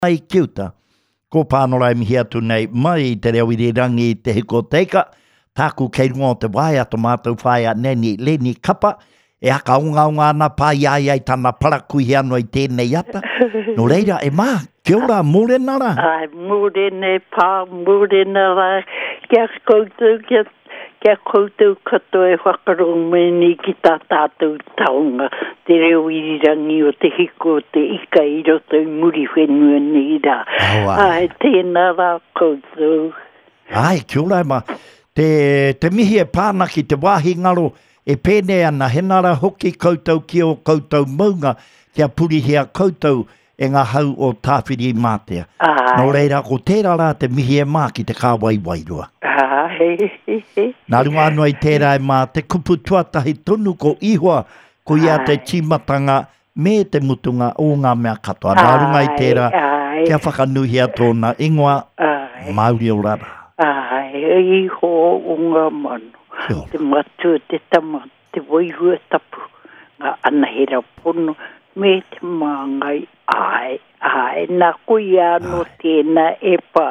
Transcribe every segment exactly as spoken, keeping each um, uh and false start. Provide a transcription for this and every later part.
Mai ki uta. Ko Pānora e mihi atu nei mai i te reo irirangi i Te Hiku o Te Ika, tāku kei runga o te waea to mātou whaea Nanny Leni Kapa, e hakaongaonga ana pā i a ia i tana parakuihi anō i tēnei ata. Nō reira, e mā, kia ora, mōrena rā. Ai, mōrena e pā, mōrena rā, kia koutou, kia Kia koutou katoa e whakarongo mai nei ki tā tātou taonga, te reo irirangi o Te Hiko o Te Ika i roto i Muriwhenua nei rā. Oh, ai. Ai, tēnā rā koutou. Ai, kia ora e ma. Te, te mihi e pā ana ki te wāhi ngaro e pēnei ana, hena rā hoki koutou ki ō koutou maunga, kia purihia koutou e ngā hau o Tāwhirimātea. Āe. Nō reira, ko tērā rā te mihi e mā ki te kāwai wairua. Āe. Nā runga anō i tērā e mā, te kupu tuatahi tonu ko Ihoa, ko ia te Āe. tīmatanga me te mutunga o ngā mea katoa. Nā runga i tērā, Āe, kia whakanuhia tōna ingoa, āe. Mauri ora rā. Āe, Ihoa o ngā mano, Kia ora. te matua, te tama, te wairua tapu, ngā anahera pono, me te māngai, āe, āe, nā koia anō tēnā e pā,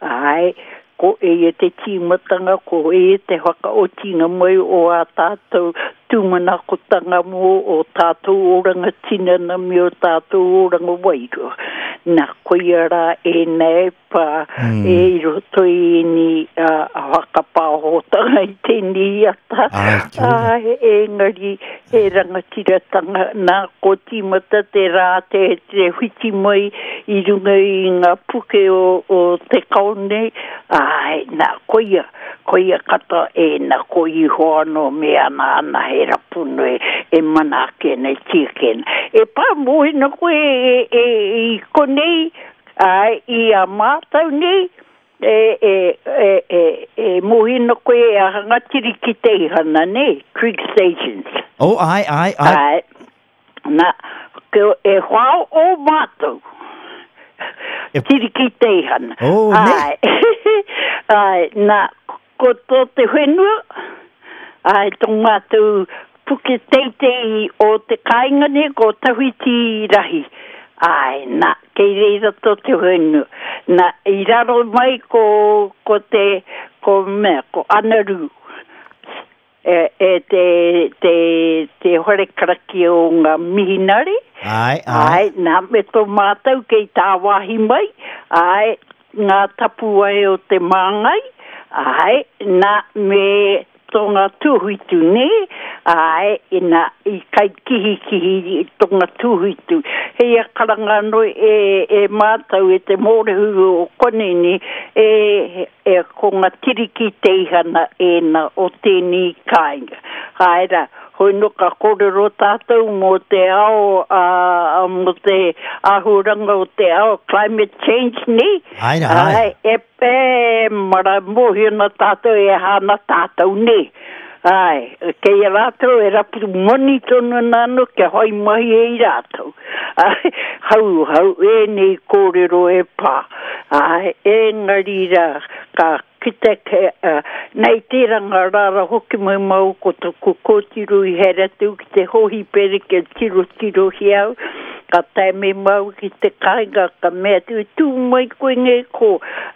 āe, ko eia te tīmatanga, ko eia te whakaotinga mai o ā tātou tūmanakotanga mō o tātou oranga tinana me o tātou oranga wairua. Nā koia rā ēnā e pā, Mm. e i roto i ēnei uh, whakapāhotanga i tēnei ata. Ai, kia ora. Ai, engari he rangatiratanga nā ko tīmata te rā te, te whiti mai i runga i ngā puke o, o te kao nei. Ai, nā, koia, koia katoa e nā ko iho anō me ana ana he rapuno e, e mana ake nei tiake ana. E pā mōhina koe e, e, i konei, ai, i a mātou nei, e, e, e, e, e mōhina koe e a hanga tiriki te ihana nei, Creek Stations. Oh, ai, ai, ai. Ai, nā, ko e whao o mātou. E- Tiriki te ihana. Oh, ne? Ai, ai, nā, ko tō te whenua, ai, tō mātou puke teitei o te kāinga nei, ko Tawhiti Rahi. Ai, nā, kei reira tō te whenua. Nā, i raro mai ko, ko te, ko mea, ko Anaru. E, e te, te, te whare karakia o ngā mihinare. Ai, ai. Ai, nā, me tō mātou kei tāwāhi mai, ai, ngā tapuwae o te māngai, ai, nā, me tō ngā tūhuitu nei, ai, i nā, i kai kihikihi i tō ngā tūhuitu. Hei a karanga anō e, e mātou e te mōrehu o konei nei, e, e ko ngā tiriki teihana ēnā o tēnei kāinga. Ai rā, hoi no ka kōrero tātou mō te ao, uh, mō te āhuranga o te ao, climate change nei. Ai rā, ai. Ai, e pē, mara mōhio na tātou e hana tātou nei. Ai, kei a rātou e rapu moni tonu ana anō kia whai mahi e i rātou. Ai, hau, hau, ēnei kōrero e pā. Ai, engari rā, ka kite ke, uh, nei tērā ngā rāra hoki mai mau ko tōku kōtiro i haere atu ki te hōhipere kia tiro tiro hi au, ka tae me mau ki te kāinga, ka mea atu, tū mai koe ngei ko,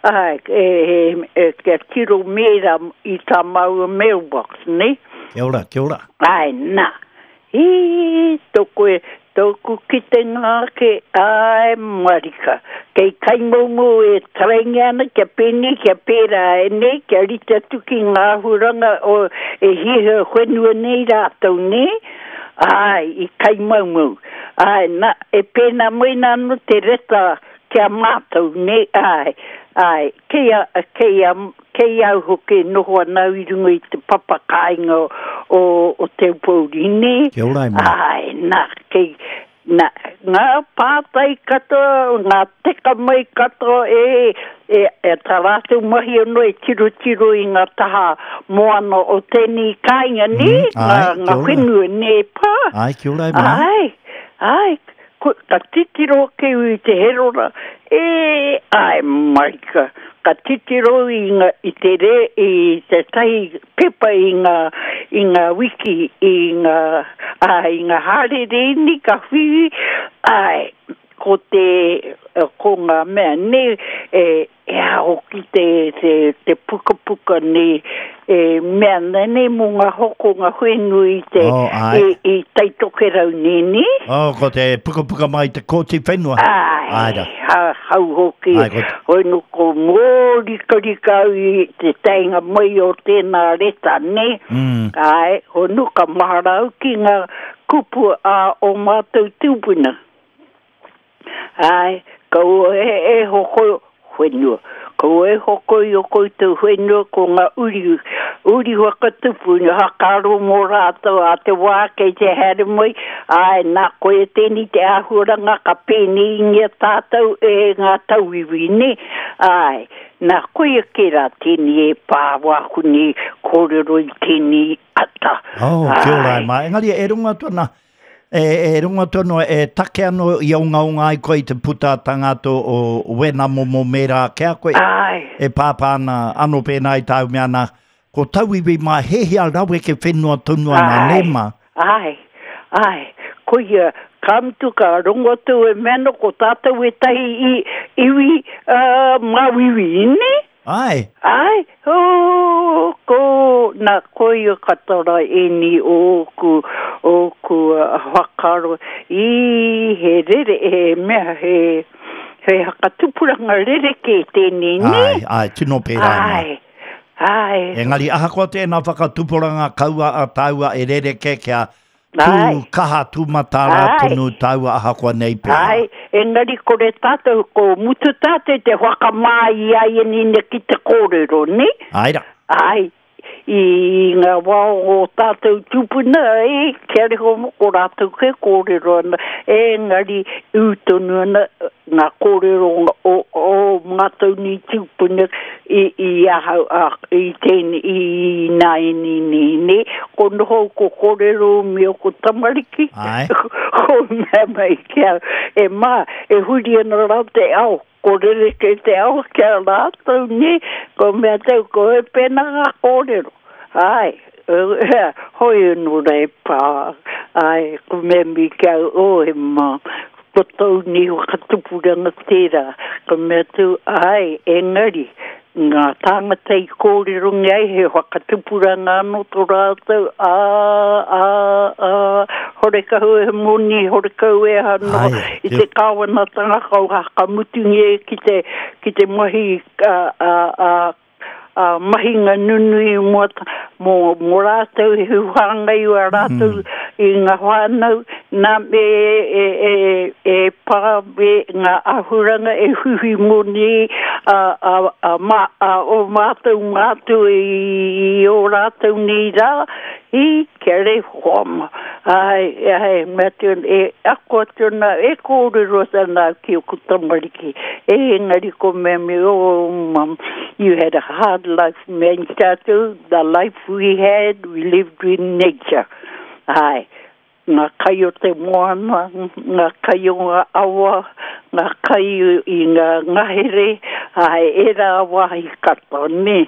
ai, e, e, e, kia tiro mēra i tā māua mailbox, nei? Kia ora, kia ora. Ai, nā. Hi, tōku e, tōku kitenga ake, ai, marika. Kei kaimoumou e tarainga ana, kia pēnei, kia pērā e nei, kia rite atu ki ngā huranga o e hiahia whenua nei rātou nei. Ai, i kaimaumau. Ai, nā, e pēnā mai nā anō te reta kia mātou nei, ai, ai, kei a, kei a, kei au hoki noho ana au i runga i te papa kāinga o, o, o Te Aupōuri nei. Kia ora e mā. Ai, nā, kei, nā, ngā pātai katoa, ngā teka mai katoa e, e, e tā rātou mahi anō e tirotiro i ngā taha moana o tēnei kāinga nei, Mm, ai, ngā, kia ngā ora. whenua nei pā. Ai, kia ora e mā. Ai, ai, ko, ka titiro ke i te herora, e, ai, marika, ka titiro i, ngā, i te re, i te tahi pepa i ngā, i ngā wiki, i ngā, ai, i ngā hārere ni ka whiwi, ai, ko te ko ngā mea ne e e hoki te te te pukapuka ne e mea nei mō ngā hokonga whenua i te Oh, ai. i, i Taitokerau nini. Oh, ko te pukapuka mai te kōti whenua. Ai, Ai ra. ha, hau hoki. Ai, ko te- Hoi no ko mōrikarika au i te tainga mai o tēnā reta ne. Mm. Ai, hoi no ka mahara au ki ngā kupu a o mātou tūpuna. Ai, kaua e, e hoko whenua. Kaua e hoko i o koutou whenua ko ngā uri, uri whakatupu, ngā hakaro mō rātou a te wā kei te haere mai. Ai, nā koe tēni te āhuaranga ka pēneingia tātou e ngā tauiwi, ne? Ai, nā koe ke rā tēni e pā wāku ni kōrero i tēni ata. Oh, kia ora Ai. e mā. Engari e runga atu ana, e, e runga atu ana, e take ano i ongaonga ai koe i te puta tangato o wena momo mera kia koe. Ai. E pāpā ana, ano pēnā i tāu mea ana, ko tauiwi mā hehia raweke whenua tonu ana, Ai. ne mā? Ai, ai, koia, ka mutu ka rongo atu e meno ko tātou e tahi i, iwi uh, māuiwi, ne? Ai, Ai, oh, ko, nā koia katara eni o oku, oku uh, whakaro, i he rere, he mea, he, he hakatupuranga rere ke tēnei, ne? ai, ai, tino pērā e mā. Ai, ai, Engari ahakoa tēnā whakatupuranga kaua a tāua e rereke kia tū Ai. kaha tū matara Ai. tonu tāua ahakoa nei pērā. Ai, engari kore tātou, ko mutu tātou te whakamā i ai e nina ki te kōrero, ne? Ai ra. Ai, i ngā wā o tātou tūpuna, e, kia reho mo ko rātou ke kōrero ana, engari ū tonu ana ngā kōrero o, o mātou ni tūpuna i, i ahau, a, i tēni, i nā e ni ni ni, ko noho ko kōrero me o ko tamariki. Ai. Ko mea mai kia, e mā, e huri ana rā te ao, ko rere ke te ao kia rātou ni, ko mea tau, ko e pēnā ngā kōrero. Ai, eh, hoi anō rā e pā, ai, ko mea mi kia, o e mā, ko tau ni whakatupuranga tērā, ko mea tau, ai, engari, ngā tāngata i kōrero ngai he whakatupuranga anō tō rātou, ā, ā, ā, horekau e moni, horekau e anō, Ai, i te kāwanatanga kau hakamutungia ki te, ki te mahi a, a, a, a mahinga nunui mō, mō, mō rātou, he huhanga i a rātou mm. i ngā whānau, nā me e, e, e, e pā me ngā ahuranga e huhi moni a, a, a, ma, a, o mātou mātou i, i o rātou nei rā, i kia re hoa. Ai, ai, mea te, e ako atu ana, e kōrero ana ki o ku tamariki. E engari ko mea me, oh, mum, you had a hard life, man, tātou, the life we had, we lived in nature. Ai, ngā kai o te moana, ngā kai o ngā awa, ngā kai i ngā ngahere, ai, e rā wāhi katoa, ne?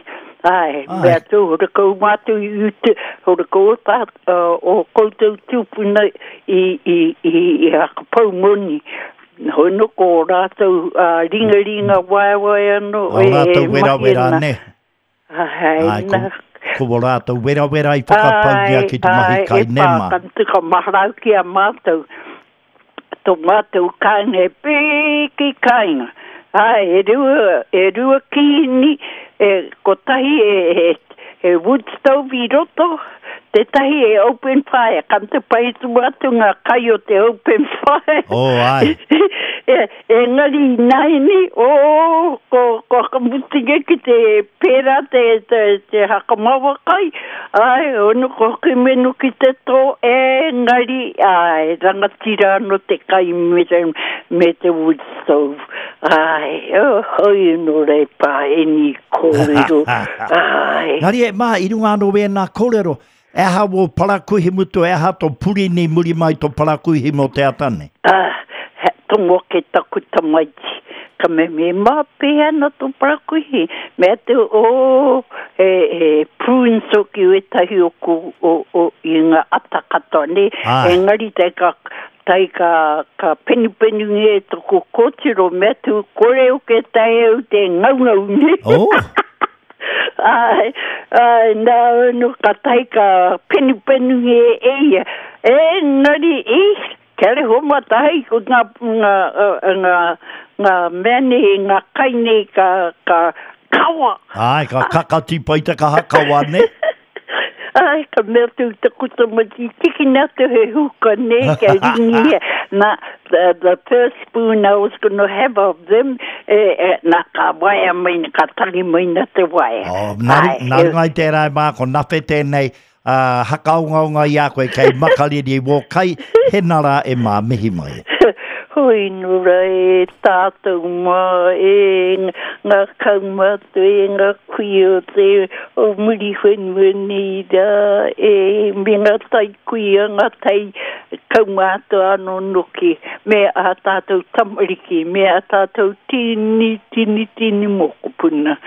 Ai, Ai. mea tū, hora kau mātou i ute, hora kau o tā, uh, o koutou tūpuna i, i, i, i hakapau moni. Hoi no ko o rātou uh, ringaringa waewae anō. O rātou e wera mahi wera ana. ne. Ai, Ai, ko, nā. ko o rātou wera wera i whakapaungia ki te mahi kai e ne mā. Ai, e pā, ka maharau ki a mātou. Tō mātou kāinga e pēki kāinga. Ai, e rua, e rua kīni, e kotahi e, e, e wood stove i roto, tētahi e open fire. Ka te pai tu atu ngā kai o te open fire. Oh, ai. e, engari naini, o, ko, ko hakamutinga ki te pērā te, te, te hakamawa kai, ai, ono ko menu ki te tō, engari, ai, rangatira anō te kai me te, me te wood stove. Ai, oh, hoi anō rei pā, eni kōrero. Ai. Ngari e mā, i runga anō wēnā kōrero, e aha wō parakuihi mutu, e aha tō purini muri mai tō parakuihi mō te atane. Ah, he tongo ke taku tamaiti. Ka me me mā pēhea ana tō parakuihi. Mea te o, he, he prunes hoki wētahi o, ku, o, o, i ngā ata katoa, ne? Ai. Engari te ka tai ka, ka penupenu nge toko kōtiro mea tu kore o ke tai au te ngaungau ne. Oh. Ai, ai, nā no ka tai ka penupenu nge e ia. E, nari e, kia re homa tahi ko ngā, ngā, ngā, ngā mea nei, ngā kai nei ka, ka kawa. Ai, ka kakati pai te kaha kawa ne. Ai, ka mea tu te kuta mati, tiki nā te he huka ne, kia ringi. Nā, the, the first spoon I was gonna have of them, e, e, nā ka waia mai, ka tangi mai nā te waia. Oh, nā, nā runga i tērā e mā, ko nawhe tēnei, uh, hakaongaonga i a koe kei makariri wō kai, he nara e mā mihi mai. Hoi nura e tātou mā e ngā kaumātua e ngā kuia te o muri whenua nei rā e me ngā tai kuia ngā tai kaumātua anō noki me a tātou tamariki me a tātou tini tini tini mokopuna.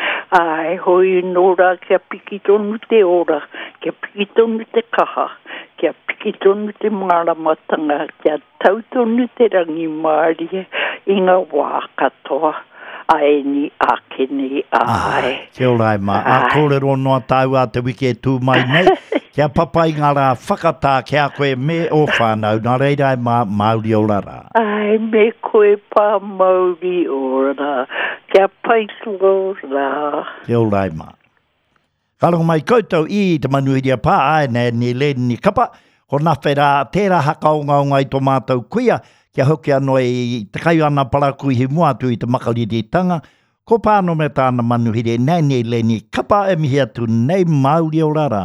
Ai hoi nora kia piki tonu te ora, kia piki tonu te kaha, kia piki tonu te māramatanga, kia tau tonu te rangimārie i ngā wā katoa. Ai ni ake ni ai. Kia ora e mā. A kōrero noa tāu a te wiki e tū mai nei. Kia papai ngā rā whakatā kia koe me o whānau. Nā reira e mā, mauri ora rā. Ai, me koe pā mauri ora. Kia pai tō rā. Kia ora e mā. Ka rongo mai koutou i te manuhiria pā, ai, nei, ni le, ni kapa. Ko nawhe rā, tērā hakaongaonga i tō mātou kuia, kia hoki anō i te kai ana parakuihi mua atu i te makariritanga. Ko pāno me tāna manuhiri, nei, nei, le, ni kapa e mihi atu nei mauri ora rā.